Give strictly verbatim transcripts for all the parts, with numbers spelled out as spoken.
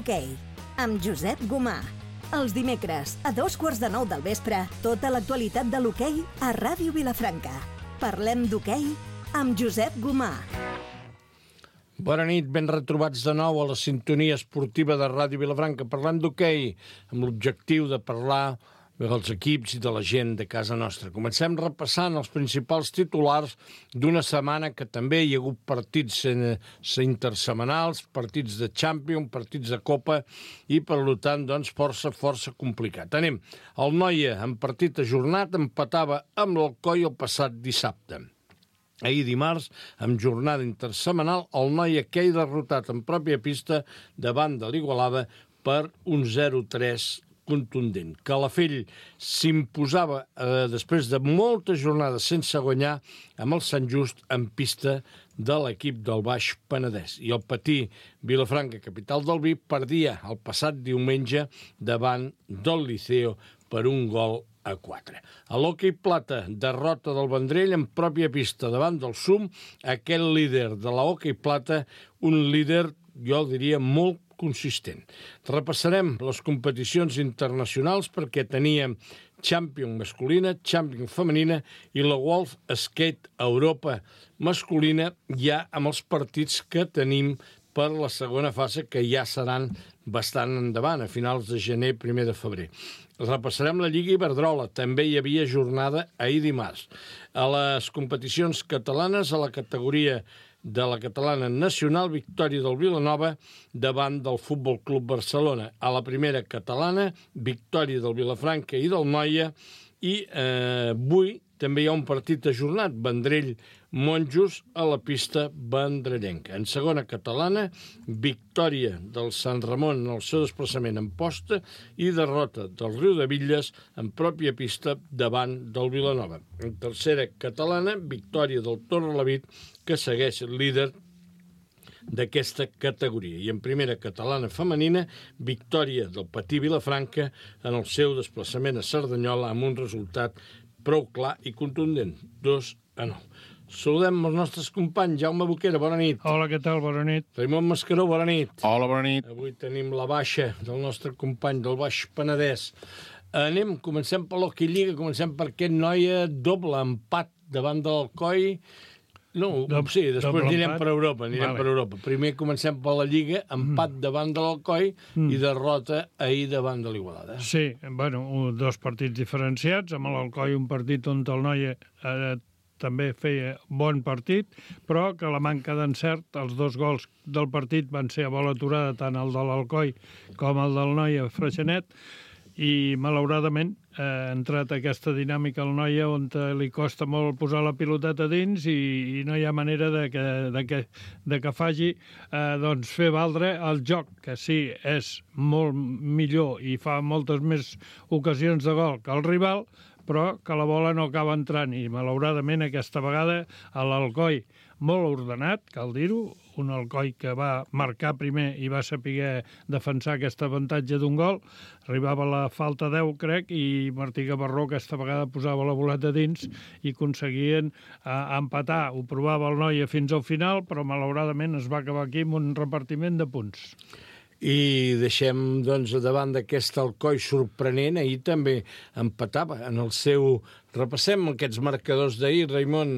d'hoquei, amb Josep Gomà. Els dimecres, a dos quarts de nou del vespre, tota l'actualitat de l'hoquei a Ràdio Vilafranca. Parlem d'hoquei amb Josep Gomà. Bona nit, ben retrobats de nou a la sintonia esportiva de Ràdio Vilafranca. Parlem d'hoquei, amb l'objectiu de parlar dels equips i de la gent de casa nostra. Comencem repassant els principals titulars d'una setmana que també hi ha hagut partits intersetmanals, partits de Champions, partits de Copa i, per tant, doncs, força, força complicat. Anem. El Noia, en partit ajornat, empatava amb l'Alcoi el passat dissabte. Ahir dimarts, amb jornada intersetmanal, el Noia queia derrotat en pròpia pista davant de l'Igualada per un zero tres contundent. Calafell s'imposava eh, després de moltes jornades sense guanyar amb el Sant Just en pista de l'equip del Baix Penedès. I el Patí Vilafranca, capital del Vi, perdia el passat diumenge davant del Liceo per un gol a quatre. A l'hoquei plata, derrota del Vendrell en pròpia pista davant del Sum, aquell líder de la hoquei plata, un líder, jo diria, molt consistent. Repassarem les competicions internacionals perquè teníem Champions masculina, Champions femenina i la World Skate Europa masculina ja amb els partits que tenim per la segona fase, que ja seran bastant endavant, a finals de gener, primer de febrer. Repassarem la Lliga Iberdrola. També hi havia jornada ahir dimarts. A les competicions catalanes, a la categoria de la catalana nacional, victòria del Vilanova davant del Futbol Club Barcelona. A la primera catalana, victòria del Vilafranca i del Noia. I eh, avui també hi ha un partit ajornat, Vendrell-Monjos a la pista vendrellenca. En segona catalana, victòria del Sant Ramon en el seu desplaçament en posta i derrota del Riu de Villes en pròpia pista davant del Vilanova. En tercera catalana, victòria del Torrelavit, que segueix líder d'aquesta categoria. I en primera catalana femenina, victòria del Patí Vilafranca en el seu desplaçament a Cerdanyola amb un resultat prou clar i contundent, dos a nou. Saludem els nostres companys. Jaume Boquera, bona nit. Hola, què tal? Bona nit. Raimon Mascaró, bona nit. Hola, bona nit. Avui tenim la baixa del nostre company del Baix Penedès. Anem, comencem per l'Hockey Lliga, comencem per aquest Noia, doble empat davant de l'Alcoi. No, Dob sí, després anirem empat per Europa, anirem vale. per Europa. Primer comencem per la Lliga, empat mm. davant de l'Alcoi mm. i derrota ahir davant de l'Igualada. Sí, bueno, dos partits diferenciats, amb l'Alcoi un partit on el Noia eh, també feia bon partit, però que la manca d'encert, els dos gols del partit van ser a bola aturada, tant el de l'Alcoi com el del Noia Freixenet, i malauradament ha entrat aquesta dinàmica al Noia on li costa molt posar la piloteta dins i, i no hi ha manera de que, de que, de que faci eh, doncs fer valdre el joc, que sí, és molt millor i fa moltes més ocasions de gol que el rival, però que la bola no acaba entrant i malauradament aquesta vegada a l'Alcoi molt ordenat, cal dir-ho, un Alcoi que va marcar primer i va saber defensar aquest avantatge d'un gol, arribava a la falta deu, crec, i Martí Gavarró aquesta vegada posava la boleta dins i aconseguien eh, empatar. Ho provava el Noia fins al final, però malauradament es va acabar aquí amb un repartiment de punts. I deixem, doncs, davant d'aquest Alcoi sorprenent, ahir també empatava en el seu... Repassem aquests marcadors d'ahir, Raimon.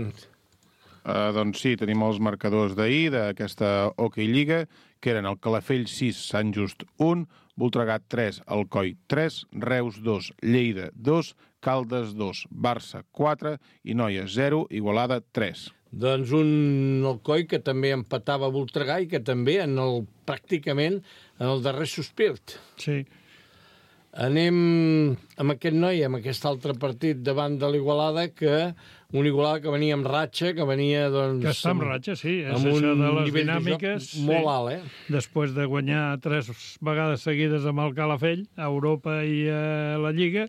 Uh, doncs sí, tenim els marcadors d'ahir d'aquesta Hockey Lliga, que eren el Calafell sis, Sant Just un, Voltregà tres, Alcoi tres, Reus dos, Lleida dos, Caldes dos, Barça quatre i Noia zero, Igualada tres. Doncs un Alcoi que també empatava a Voltregà i que també en el, pràcticament en el darrer sospir. Sí. Anem amb aquest noi, amb aquest altre partit davant de l'Igualada, que un Igualada que venia amb ratxa, que venia, doncs... Que està amb ratxa, sí. És amb això un de les nivell dinàmiques, de joc molt sí. alt, eh? Després de guanyar tres vegades seguides amb el Calafell, a Europa i a la Lliga,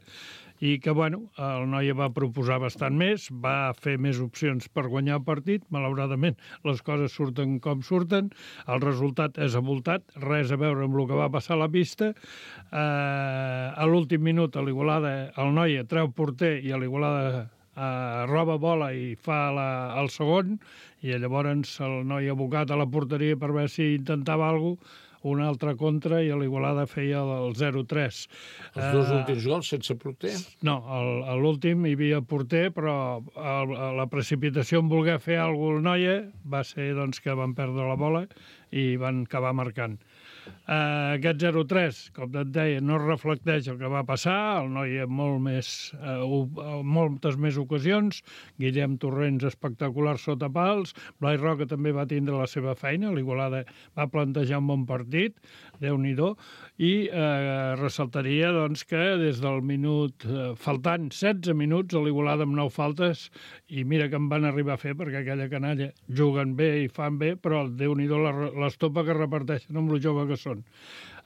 i que, bueno, el Noia va proposar bastant més, va fer més opcions per guanyar el partit, malauradament les coses surten com surten, el resultat és avoltat, res a veure amb el que va passar a la pista, eh, a l'últim minut a l'Igualada el Noia treu porter i a l'Igualada eh, roba bola i fa la, el segon, i llavors el Noia abocat a la porteria per veure si intentava alguna cosa, una altra contra i l'Igualada feia el zero tres. Els dos últims gols sense porter? No, el- a l'últim hi havia porter, però el, la precipitació en voler fer alguna cosa noia va ser doncs, que van perdre la bola i van acabar marcant. Uh, aquest zero tres, com et deia, no reflecteix el que va passar, el noi en molt més, uh, en moltes més ocasions, Guillem Torrents espectacular sota pals, Blai Roca també va tindre la seva feina, l'Igualada va plantejar un bon partit, Déu-n'hi-do, i eh, ressaltaria doncs, que des del minut, eh, faltant setze minuts, a l'Igualada amb nou faltes, i mira que en van arribar a fer, perquè aquella canalla juguen bé i fan bé, però Déu-n'hi-do l'estopa que reparteixen amb lo jove que són.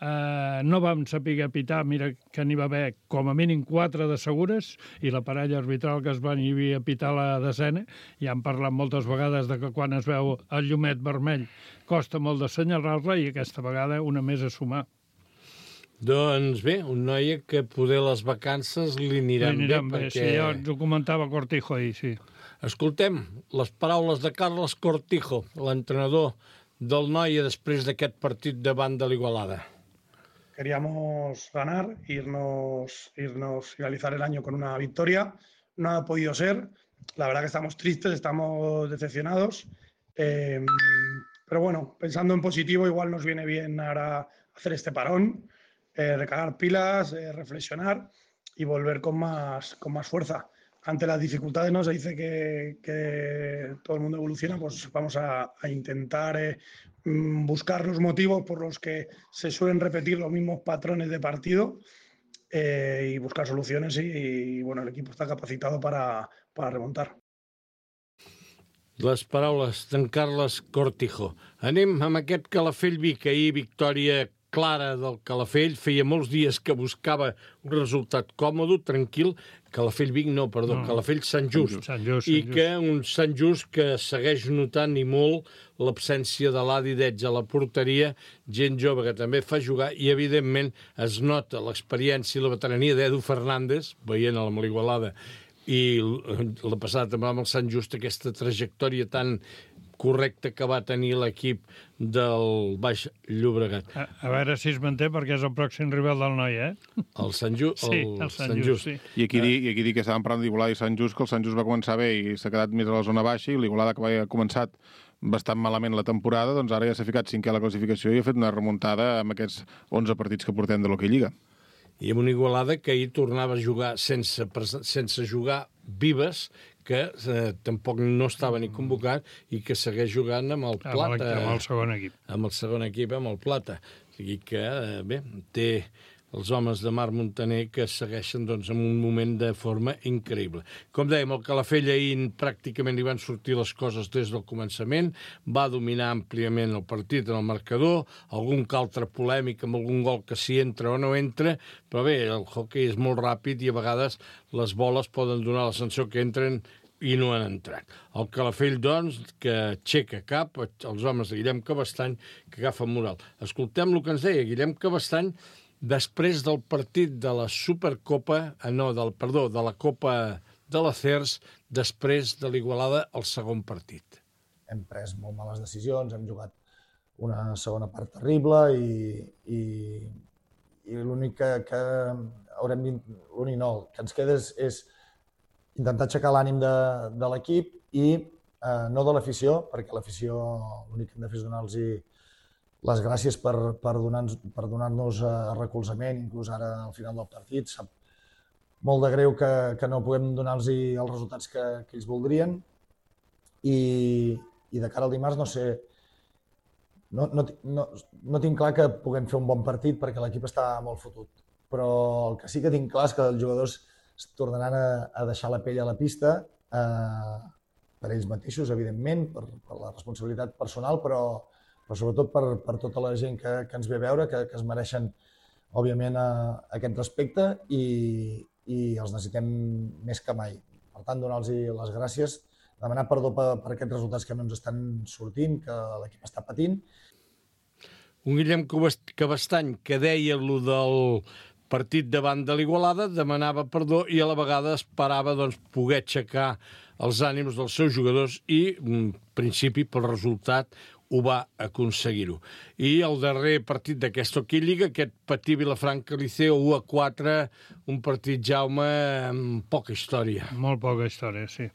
Eh, no vam saber pitar, mira que n'hi va haver com a mínim quatre de segures, i la parella arbitral que es van hi havia a pitar la desena, i han parlat moltes vegades de que quan es veu el llumet vermell costa molt d'assenyalar-la, i aquesta vegada una més a sumar. Doncs bé, un noi que poder les vacances li aniran, Li aniran bé, bé, perquè... sí, ja ens ho comentava Cortijo ahir, sí. Escoltem les paraules de Carles Cortijo, l'entrenador del Noia després d'aquest partit davant de l'Igualada. Queríamos ganar, irnos, irnos, finalizar el año con una victoria. No ha podido ser. La verdad que estamos tristes, estamos decepcionados. Eh, pero bueno, pensando en positivo, igual nos viene bien ahora hacer este parón, eh, recargar pilas, eh, reflexionar y volver con más, con más fuerza. Ante las dificultades, ¿no? Se dice que, que todo el mundo evoluciona, pues vamos a, a intentar eh, buscar los motivos por los que se suelen repetir los mismos patrones de partido eh, y buscar soluciones y, y, bueno, el equipo está capacitado para, para remontar. Les paraules d'en Carles Cortijo. Anem amb aquest Calafell Vic, ahir victòria clara del Calafell, feia molts dies que buscava un resultat còmode, tranquil, Calafell Vic no, perdó, no. Calafell Sant Just, Sant Just, i Sant Just. que un Sant Just que segueix notant i molt l'absència de l'Adi Deig a la porteria, gent jove que també fa jugar, i evidentment es nota l'experiència i la veterania d'Edu Fernández, veient amb l'Igualada, i la passada també amb el Sant Just, aquesta trajectòria tan correcta que va tenir l'equip del Baix Llobregat. A, a veure si es manté, perquè és el pròxim rival del noi, eh? El Sant Just. Sí, el Sant, Sant Just, sí. I aquí, dir, I aquí dir que estàvem parlant d'Igualada i Sant Just, que el Sant Just va començar bé i s'ha quedat més a la zona baixa, i l'Igualada, que havia començat bastant malament la temporada, doncs ara ja s'ha ficat cinquè a la classificació i ha fet una remuntada amb aquests onze partits que portem de l'Hockey Lliga. I amb una Igualada que ahir tornava a jugar sense, sense jugar Vives, que eh, tampoc no estava ni convocat i que segueix jugant amb el Plata. Amb el, amb el segon equip. Amb el segon equip, amb el Plata. O sigui que, eh, bé, té els homes de Marc Montaner que segueixen doncs, en un moment de forma increïble. Com dèiem, el Calafell ahir pràcticament li van sortir les coses des del començament, va dominar àmpliament el partit en el marcador, algun que altre polèmic amb algun gol que s'hi entra o no entra, però bé, el hoquei és molt ràpid i a vegades les boles poden donar la sensació que entren i no han entrat. El Calafell, doncs, que aixeca cap, els homes de Guillem Cabestany, que agafen moral. Escoltem el que ens deia Guillem Cabestany després del partit de la Supercopa, eh, no, del, perdó, de la Copa de la C E R S, després de l'Igualada, el segon partit. Hem pres molt males decisions, hem jugat una segona part terrible i, i, i l'únic que, que haurem l'únic no, que ens queda és, és intentar aixecar l'ànim de, de l'equip i eh, no de l'afició, perquè l'afició l'únic que hem de fer és donar-los les gràcies per, per donar-nos per donar-nos recolzament, inclús ara al final del partit. Sap molt de greu que, que no puguem donar-los els resultats que, que ells voldrien i, i de cara al dimarts no sé, no, no, no, no tinc clar que puguem fer un bon partit perquè l'equip està molt fotut, però el que sí que tinc clar és que els jugadors es tornaran a, a deixar la pell a la pista eh, per ells mateixos, evidentment, per, per la responsabilitat personal, però però sobretot per, per tota la gent que, que ens ve a veure, que, que es mereixen, òbviament, a, a aquest respecte i, i els necessitem més que mai. Per tant, donar-los les gràcies, demanar perdó per, per aquests resultats que no ens estan sortint, que l'equip està patint. Un Guillem Cabestany que deia lo del partit davant de l'Igualada, demanava perdó i a la vegada esperava doncs, poder aixecar els ànims dels seus jugadors i, en principi, pel resultat, ho va aconseguir-ho. I el darrer partit d'aquesta Hockey Lliga, aquest Patí Vilafranca Liceo u a quatre, un partit, Jaume, amb poca història. Molt poca història, sí.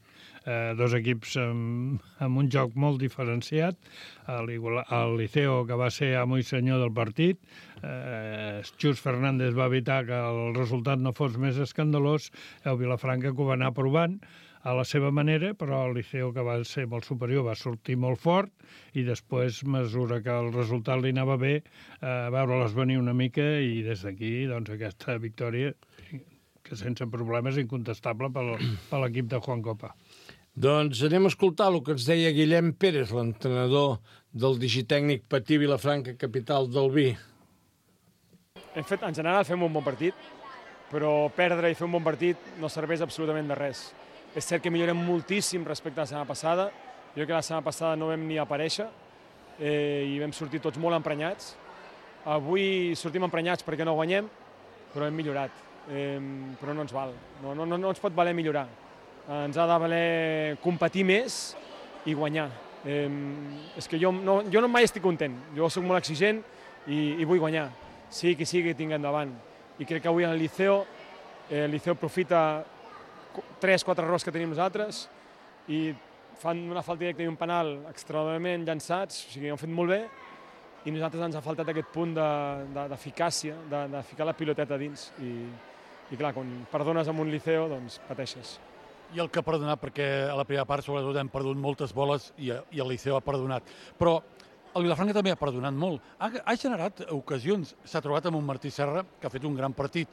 Eh, dos equips amb, amb un joc molt diferenciat. El, el Liceo, que va ser amo i senyor del partit, eh, Xus Fernández va evitar que el resultat no fos més escandalós, el Vilafranca que ho va anar provant a la seva manera, però el Liceo, que va ser molt superior, va sortir molt fort i després, a mesura que el resultat li anava bé, eh, veure-les venir una mica i des d'aquí, doncs, aquesta victòria que sense problemes és incontestable per l'equip de Juan Copa. Doncs anem a escoltar el que ens deia Guillem Pérez, l'entrenador del digitècnic Patí Vilafranca, capital del vi. Hem fet, en general fem un bon partit, però perdre i fer un bon partit no serveix absolutament de res. És cert que millorem moltíssim respecte a la setmana passada. Jo crec que la setmana passada no vam ni aparèixer eh, i vam sortir tots molt emprenyats. Avui sortim emprenyats perquè no guanyem, però hem millorat. Eh, però no ens val, no, no, no ens pot valer millorar. Eh, ens ha de valer competir més i guanyar. Eh, és que jo, no, jo no mai estic content, jo soc molt exigent i, i vull guanyar, sigui qui sigui que tingui endavant. I crec que avui en el Liceo, eh, el Liceo aprofita tres, quatre errors que tenim nosaltres i fan una falta directa i un penal extraordinàriament llançats, o sigui, ho han fet molt bé i nosaltres ens ha faltat aquest punt d'eficàcia, de, de, de ficar la piloteta dins i, i clar, quan perdones amb un Liceo, doncs pateixes. I el que ha perdonat, perquè a la primera part sobretot hem perdut moltes boles i, i el Liceo ha perdonat, però el Vilafranca també ha perdonat molt. Ha, ha generat ocasions, s'ha trobat amb un Martí Serra que ha fet un gran partit.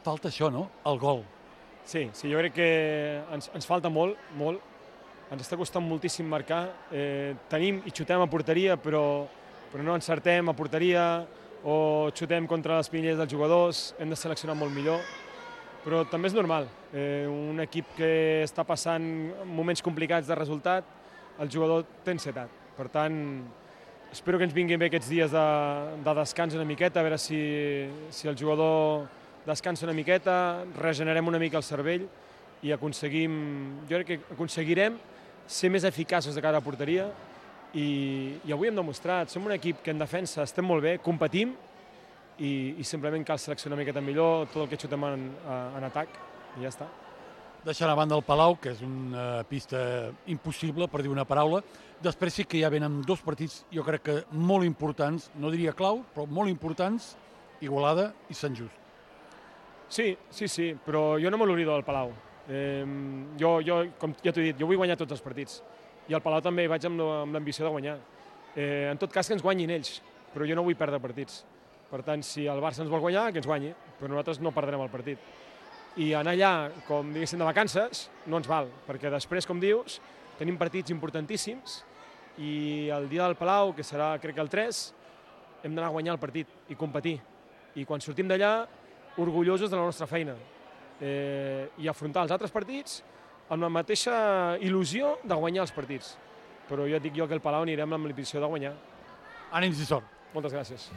Falta això, no? El gol. Sí, sí, jo crec que ens, ens falta molt, molt. Ens està costant moltíssim marcar. Eh, tenim i xutem a porteria, però, però no encertem a porteria o xutem contra les pinelles dels jugadors. Hem de seleccionar molt millor. Però també és normal. Eh, un equip que està passant moments complicats de resultat, el jugador té ansietat. Per tant, espero que ens vinguin bé aquests dies de, de descans una miqueta, a veure si, si el jugador descansa una miqueta, regenerem una mica el cervell i aconseguim, jo crec que aconseguirem ser més eficaços de cara a porteria i, i avui hem demostrat, som un equip que en defensa estem molt bé, competim i, i simplement cal seleccionar una miqueta millor tot el que xutem en, en atac i ja està. Deixant a banda el Palau, que és una pista impossible, per dir una paraula, després sí que ja venen dos partits, jo crec que molt importants, no diria clau, però molt importants, Igualada i Sant Just. Sí, sí, sí, però jo no me l'oblido del Palau. Eh, jo, jo, com ja t'ho he dit, jo vull guanyar tots els partits. I al Palau també vaig amb l'ambició de guanyar. Eh, en tot cas, que ens guanyin ells, però jo no vull perdre partits. Per tant, si el Barça ens vol guanyar, que ens guanyi, però nosaltres no perdrem el partit. I anar allà, com diguéssim, de vacances, no ens val, perquè després, com dius, tenim partits importantíssims i el dia del Palau, que serà, crec que el tres, hem d'anar a guanyar el partit i competir. I quan sortim d'allà, orgullosos de la nostra feina eh, i afrontar els altres partits amb la mateixa il·lusió de guanyar els partits. Però jo et dic jo que el Palau anirem amb l'ambició de guanyar. Ànims i sort. Moltes gràcies.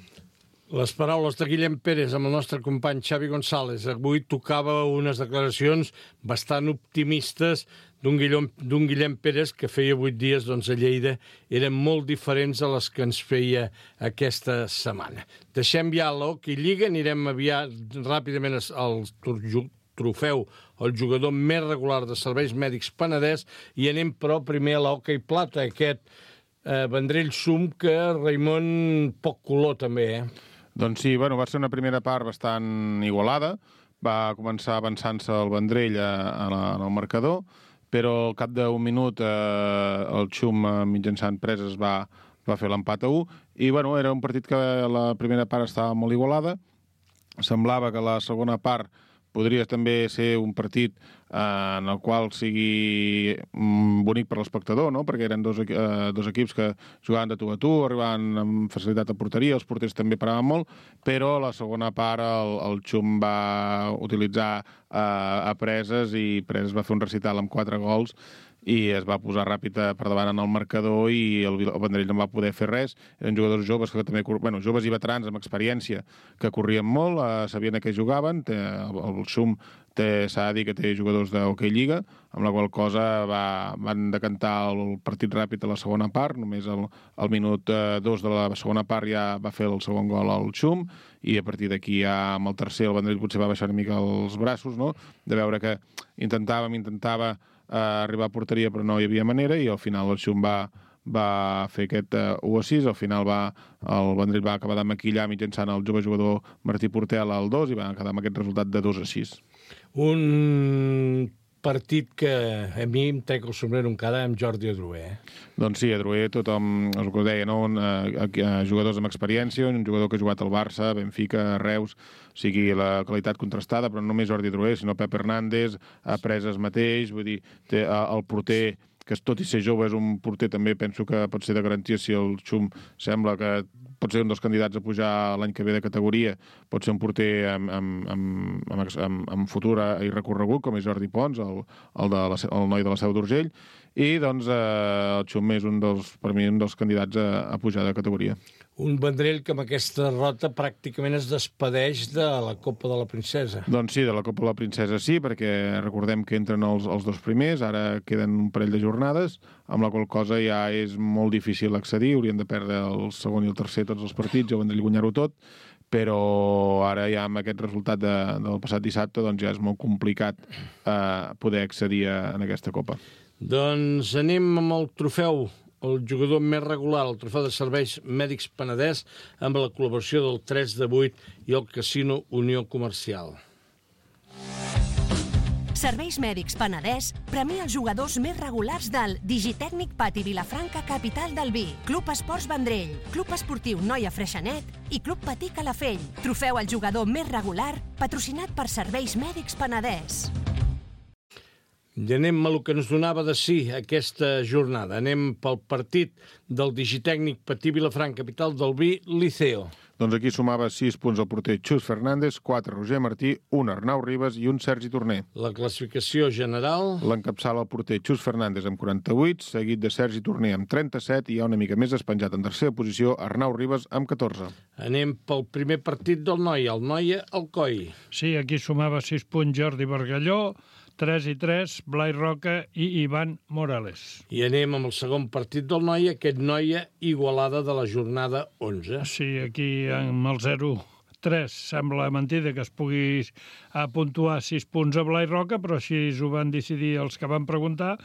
Les paraules de Guillem Pérez amb el nostre company Xavi González. Avui tocava unes declaracions bastant optimistes d'un Guillem, d'un Guillem Pérez que feia vuit dies doncs, a Lleida eren molt diferents a les que ens feia aquesta setmana. Deixem ja l'Hockey Lliga, anirem aviat ràpidament al trofeu el jugador més regular de serveis mèdics Penedès i anem però primer a l'Hockey Plata, aquest eh, Vendrell Sum que Raimon poc color també, eh? Doncs sí, bueno, va ser una primera part bastant igualada, va començar avançant-se el Vendrell a, a la, en el marcador, però al cap d'un minut eh, el Xum mitjançant preses va, va fer l'empat a u, i bueno, era un partit que la primera part estava molt igualada, semblava que la segona part podria també ser un partit eh, en el qual sigui mm, bonic per l'espectador, no? Perquè eren dos, eh, dos equips que jugaven de tu a tu, arribaven amb facilitat a porteria, els porters també paraven molt, però la segona part el, el Xum va utilitzar eh, a preses i preses va fer un recital amb quatre gols i es va posar ràpid per davant en el marcador i el, el Vendrell no va poder fer res. Eren jugadors joves que també, bueno, joves i veterans amb experiència que corrien molt, eh, sabien a què jugaven. Té, el, el Xum s'ha de dir que té jugadors d'Hockey Lliga, amb la qual cosa va, van decantar el partit ràpid a la segona part, només el, el minut eh, dos de la segona part ja va fer el segon gol al Xum, i a partir d'aquí ja amb el tercer el Vendrell potser va baixar una mica els braços, no? De veure que intentàvem, intentava eh, arribar a porteria però no hi havia manera, i al final el Xum va, va fer aquest uh, u a sis, al final va, el Vendrell va acabar de maquillar mitjançant el jove jugador Martí Portela al dos i va quedar amb aquest resultat de dos a sis. Un partit que a mi em trec el sombrero encara amb Jordi Adroer. Eh? Doncs sí, Adroer, tothom, el que deia, no? Un, uh, uh, jugadors amb experiència, un jugador que ha jugat al Barça, Benfica, Reus, o sigui, la qualitat contrastada, però no només Jordi Adroer, sinó Pep Hernández, a Preses mateix, vull dir, té, uh, el porter, que tot i ser jove és un porter també, penso que pot ser de garantia si el Xum sembla que pot ser un dels candidats a pujar l'any que ve de categoria, pot ser un porter amb, amb, amb, amb, amb, amb futur i recorregut, com és Jordi Pons, el, el, de la, el noi de la Seu d'Urgell, i doncs eh, el Xum és un dels, per mi un dels candidats a, a pujar de categoria. Un Vendrell que amb aquesta derrota pràcticament es despedeix de la Copa de la Princesa. Doncs sí, de la Copa de la Princesa sí, perquè recordem que entren els, els dos primers, ara queden un parell de jornades, amb la qual cosa ja és molt difícil accedir, haurien de perdre el segon i el tercer tots els partits, el Vendrell guanyar-ho tot, però ara ja amb aquest resultat de, del passat dissabte doncs ja és molt complicat eh, poder accedir a, a aquesta Copa. Doncs anem amb el trofeu, el jugador més regular, el trofeu de serveis mèdics Penedès, amb la col·laboració del tres de vuit i el Casino Unió Comercial. Serveis Mèdics Penedès premia els jugadors més regulars del Digitècnic Pati Vilafranca, capital del vi, Club Esports Vendrell, Club Esportiu Noia Freixenet i Club Patí Calafell. Trofeu al jugador més regular, patrocinat per Serveis Mèdics Penedès. I anem a el que ens donava de sí aquesta jornada. Anem pel partit del Digitècnic Patí Vilafranca, capital del vi, Liceo. Doncs aquí sumava sis punts el porter Xus Fernández, quatre Roger Martí, un Arnau Ribas i un Sergi Torner. La classificació general... L'encapçala el porter Xus Fernández amb quaranta-vuit, seguit de Sergi Torner amb trenta-set i hi ha una mica més despenjat en tercera posició Arnau Ribas amb catorze. Anem pel primer partit del Noia, el Noia Alcoi. Sí, aquí sumava sis punts Jordi Bargalló, tres i tres, Blai Roca i Ivan Morales. I anem amb el segon partit del Noia, aquest Noia Igualada de la jornada onze. Sí, aquí amb el zero tres sembla mentida que es pugui puntuar sis punts a Blai Roca, però així ho van decidir els que van preguntar.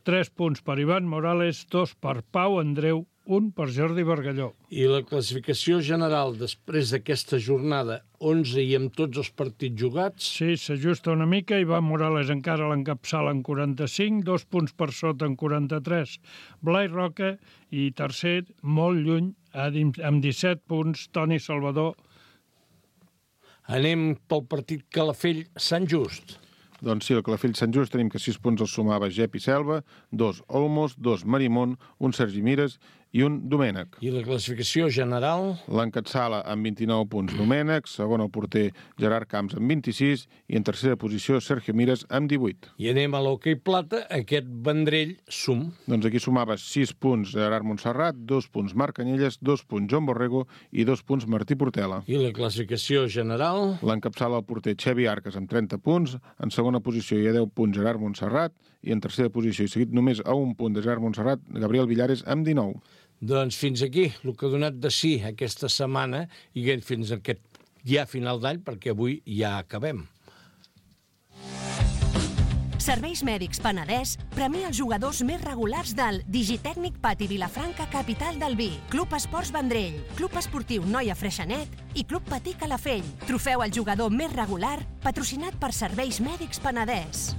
tres punts per Ivan Morales, dos per Pau Andreu, un per Jordi Bargalló. I la classificació general després d'aquesta jornada onze i amb tots els partits jugats? Sí, s'ajusta una mica. Ivan Morales encara l'encapçala en quaranta-cinc, dos punts per sota en quaranta-tres. Blai Roca i tercer, molt lluny, amb disset punts, Toni Salvador. Anem pel partit Calafell-Sant Just. Doncs sí, el Calafell Sant Just tenim que sis punts els sumava Gep i Selva, dos Olmos, dos Marimón, un Sergi Mires i un Domènec. I la classificació general? L'encatsala amb vint-i-nou punts Domènec, segon el porter Gerard Camps amb vint-i-sis i en tercera posició Sergio Mires amb divuit. I anem a l'hoquei plata, aquest Vendrell sum. Doncs aquí sumava sis punts Gerard Montserrat, dos punts Marc Canyelles, dos punts Joan Borrego i dos punts Martí Portela. I la classificació general? L'encapçala el porter Xevi Arcas amb trenta punts, en segona posició hi ha deu punts Gerard Montserrat i en tercera posició, i seguit només a un punt de Gerard Montserrat, Gabriel Villares amb dinou. Doncs fins aquí el que ha donat de sí aquesta setmana i fins a aquest ja final d'any, perquè avui ja acabem. Serveis Mèdics Penedès premia els jugadors més regulars del Digitècnic Pati Vilafranca, capital del vi, Club Esports Vendrell, Club Esportiu Noia Freixenet i Club Patí Calafell. Trofeu al jugador més regular, patrocinat per Serveis Mèdics Penedès.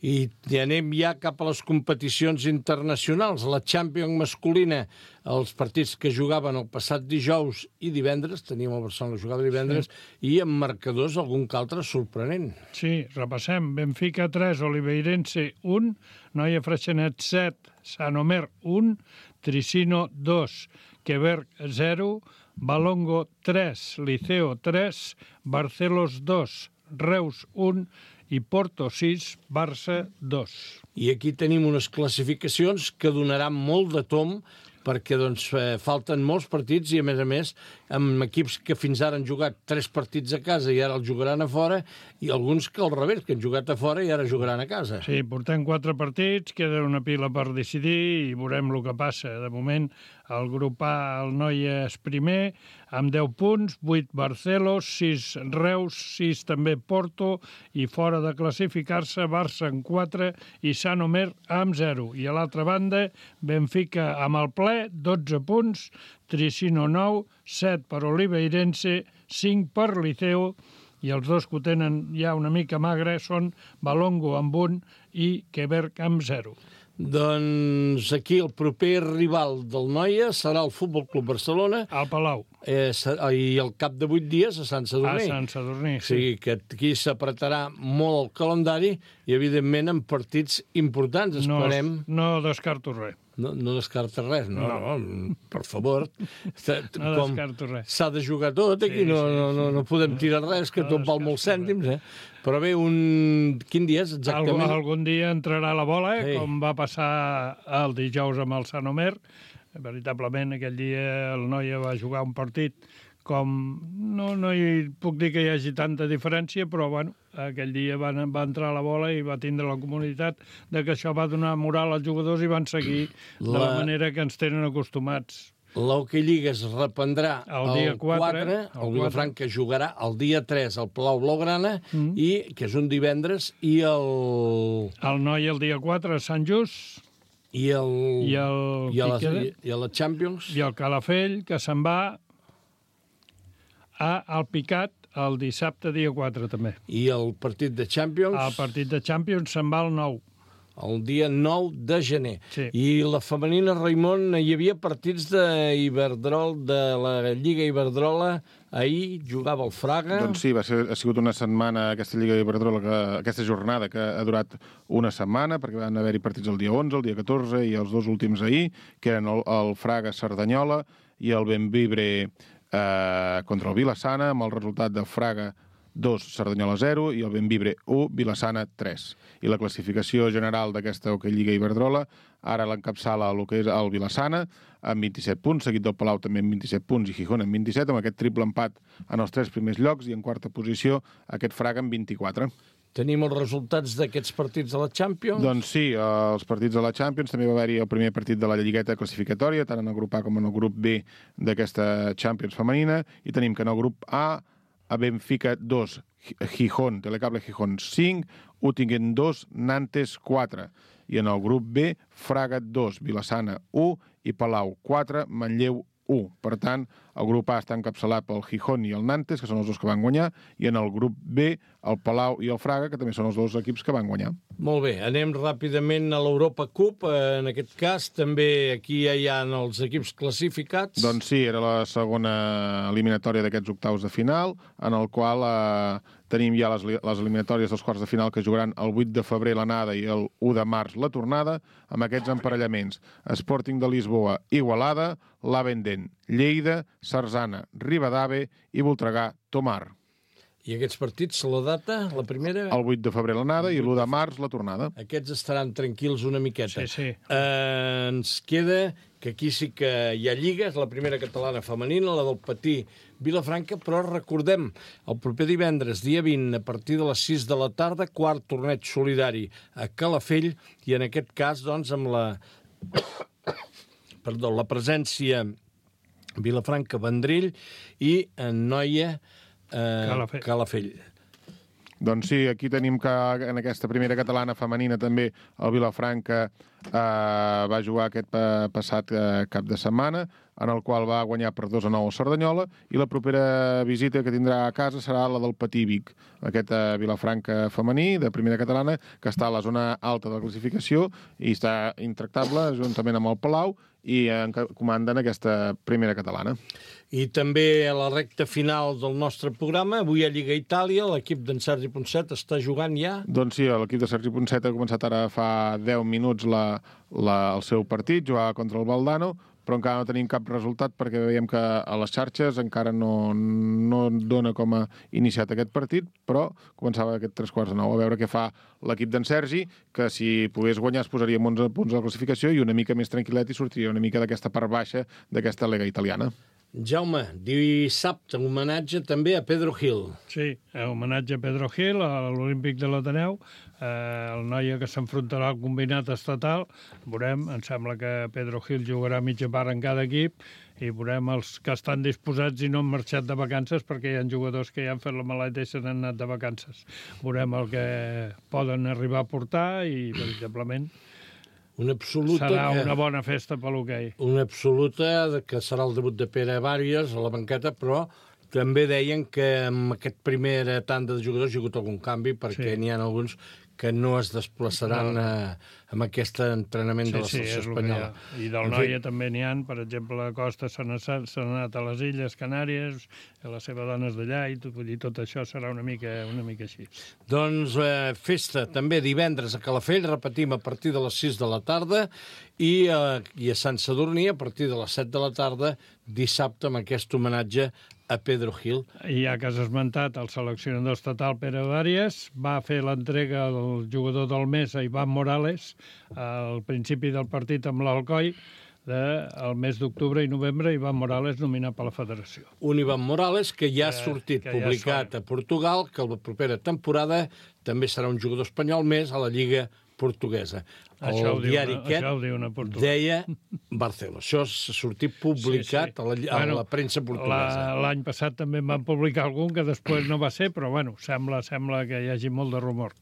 I anem ja cap a les competicions internacionals. La Champions masculina, els partits que jugaven el passat dijous i divendres, teníem el Barcelona que jugava divendres, sí. I amb marcadors algun que altre sorprenent. Sí, repassem. Benfica tres, Oliveirense un, Noia Freixenet set, Sant Omer un, Tricino dos, Quebec zero, Balongo tres, Liceo tres, Barcelos dos, Reus un i Porto sis, Barça dos. I aquí tenim unes classificacions que donaran molt de tom, perquè doncs, eh, falten molts partits i, a més a més, amb equips que fins ara han jugat tres partits a casa i ara els jugaran a fora, i alguns que al revés, que han jugat a fora i ara jugaran a casa. Sí, portem quatre partits, queda una pila per decidir i veurem el que passa. De moment, el grup A, el Noia és primer, amb deu punts, vuit Barcelos, sis Reus, sis també Porto, i fora de classificar-se, Barça amb quatre i Sant Omer amb zero. I a l'altra banda, Benfica amb el ple, dotze punts, Tricino nou, set per Oliveirense, cinc per Liceo, i els dos que ho tenen ja una mica magre són Balongo amb un i Quebec amb zero. Doncs aquí el proper rival del Noia serà el Futbol Club Barcelona. Al Palau. Eh, I al cap de vuit dies a Sant Sadurní. A Sant Sadurní, sí. O sigui que aquí s'apretarà molt el calendari i, evidentment, en partits importants. Esperem... No, no descarto res. No, no descarta res, no, no, no per favor. No descarto res. S'ha de jugar tot, aquí sí, no, sí, no, no, no podem tirar res, que no tot val molts cèntims, eh? Però bé, un... quin dia és exactament? Algun, algun dia entrarà la bola, eh? Sí. Com va passar el dijous amb el Sant Omer. Veritablement, aquell dia el Noia va jugar un partit com... No, no hi puc dir que hi hagi tanta diferència, però, bueno, aquell dia va, va entrar la bola i va tindre la comunitat de que això va donar moral als jugadors i van seguir la... de la manera que ens tenen acostumats. L'Hockey Lliga es reprendrà el dia quatre, el Vilafranca jugarà el dia tres al Palau Blaugrana, mm. i que és un divendres, i el... El Noia el dia quatre a Sant Just. I el... I, el... I, a, la, i a la Champions. I el Calafell, que se'n va a Alpicat el dissabte dia quatre, també. I el partit de Champions? El partit de Champions se'n va al nou. El dia nou de gener. Sí. I la femenina, Raimon, hi havia partits d'Iberdrol, de la Lliga Iberdrola. Ahir jugava el Fraga. Doncs sí, va ser, ha sigut una setmana aquesta Lliga Iberdrola, que, aquesta jornada que ha durat una setmana, perquè van haver-hi partits el dia onze, el dia catorze i els dos últims ahir, que eren el, el Fraga-Cerdanyola i el Benvibre eh, contra el Vilassana, amb el resultat de Fraga dos, Cerdanyola zero, i el Benvibre u, Vilassana tres. I la classificació general d'aquesta Hockey Lliga Iberdrola ara l'encapçala el que és el Vilassana amb vint-i-set punts, seguit del Palau també amb vint-i-set punts i Gijón amb vint-i-set, amb aquest triple empat en els tres primers llocs, i en quarta posició aquest Fraga amb vint-i-quatre. Tenim els resultats d'aquests partits de la Champions? Doncs sí, els partits de la Champions. També va haver-hi el primer partit de la lligueta classificatòria, tant en el grup A com en el grup B d'aquesta Champions femenina, i tenim que en el grup A a Benfica dos, Gijón, Telecable Gijón cinc, Uttingen dos, Nantes quatre. I en el grup B, Fraga dos, Vilassana u i Palau quatre, Manlleu u. Per tant, el grup A està encapçalat pel Gijón i el Nantes, que són els dos que van guanyar, i en el grup B, el Palau i el Fraga, que també són els dos equips que van guanyar. Molt bé, anem ràpidament a l'Europa Cup. En aquest cas, també aquí ja hi ha els equips classificats. Doncs sí, era la segona eliminatòria d'aquests octaus de final, en el qual eh, tenim ja les, les eliminatòries dels quarts de final que jugaran el vuit de febrer l'anada i el u de març la tornada, amb aquests emparellaments: Sporting de Lisboa, Igualada, l'Avenden, Lleida, Sarzana, Ribadave i Voltregà, Tomar. I aquests partits, la data, la primera... El vuit de febrer l'anada i l'u de març la tornada. Aquests estaran tranquils una miqueta. Sí, sí. Eh, ens queda que aquí sí que hi ha lliga, és la primera catalana femenina, la del Patí Vilafranca, però recordem, el proper divendres, dia vint, a partir de les sis de la tarda, quart torneig solidari a Calafell, i en aquest cas, doncs, amb la... Perdó, la presència Vilafranca-Vendrell i en Noia eh, Calafell. Calafell. Doncs sí, aquí tenim que en aquesta primera catalana femenina també el Vilafranca eh, va jugar aquest pa passat eh, cap de setmana, en el qual va guanyar per dos a nou a Cerdanyola, i la propera visita que tindrà a casa serà la del Patí Vic, aquest eh, Vilafranca femení de primera catalana, que està a la zona alta de la classificació i està intractable juntament amb el Palau, i en comanden aquesta primera catalana. I també a la recta final del nostre programa, avui a Lliga Itàlia, l'equip d'en Sergi Ponset està jugant ja? Doncs sí, l'equip de Sergi Ponset ha començat ara fa deu minuts la, la, el seu partit, jugava contra el Valdano, però encara no tenim cap resultat perquè veiem que a les xarxes encara no, no dona com a iniciat aquest partit, però començava aquest tres quarts de nou. A veure què fa l'equip d'en Sergi, que si pogués guanyar es posaria amb onze punts de la classificació i una mica més tranquil·let i sortiria una mica d'aquesta part baixa d'aquesta Lega italiana. Jaume, dissabte, homenatge també a Pedro Gil. Sí, homenatge a Pedro Gil, a l'Olímpic de l'Ateneu, eh, el noia que s'enfrontarà al combinat estatal. Veurem, em sembla que Pedro Gil jugarà mitja part en cada equip i veurem els que estan disposats i no han marxat de vacances, perquè hi ha jugadors que ja han fet la maleta i se n'han anat de vacances. Veurem el que poden arribar a portar i, veritablement, una absoluta serà que, una bona festa per l'hoquei. Una absoluta que serà el debut de Pere Bàries a la banqueta, però també deien que en aquest primera tanda de jugadors hi ha hagut algun canvi, perquè sí. N'hi ha alguns que no es desplaçaran no. a, amb aquest entrenament sí, de la selecció sí, espanyola. I del Noia també n'hi ha, per exemple, Costa s'ha anat a les Illes Canàries, la seva dona és d'allà, i vull dir, tot això serà una mica, una mica així. Doncs eh, festa també divendres a Calafell, repetim, a partir de les sis de la tarda, i, eh, i a Sant Sadurní a partir de les set de la tarda, dissabte, amb aquest homenatge a Pedro Gil. I ja que has esmentat el seleccionador estatal Pere Bàries, va fer l'entrega al jugador del mes, a Ivan Morales, al principi del partit amb l'Alcoi, del mes d'octubre i novembre, Ivan Morales nominat per la federació. Un Ivan Morales que ja ha sortit, que publicat ja a Portugal, que la propera temporada també serà un jugador espanyol més a la Lliga portuguesa. Això el diari aquest deia Barcelona. Això s'ha sortit publicat sí, sí. a la, a bueno, la premsa portuguesa. L'any passat també en van publicar algun que després no va ser, però bueno, sembla, sembla que hi hagi molt de rumor.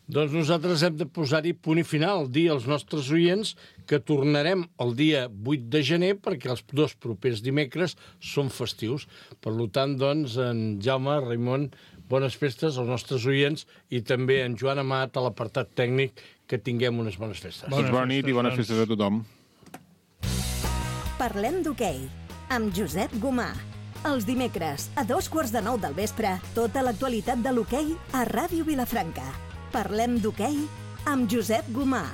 Doncs nosaltres hem de posar-hi punt i final, dir als nostres oients que tornarem el dia vuit de gener perquè els dos propers dimecres són festius. Per tant, doncs, en Jaume, Raimon, bones festes als nostres oients i també en Joan Amat a l'apartat tècnic, que tinguem unes bones festes. Bones bona nit i bones festes a tothom. Parlem d'hoquei amb Josep Gomà. Els dimecres, a dos quarts de nou del vespre, tota l'actualitat de l'hoquei a Ràdio Vilafranca. Parlem d'hoquei amb Josep Gomà.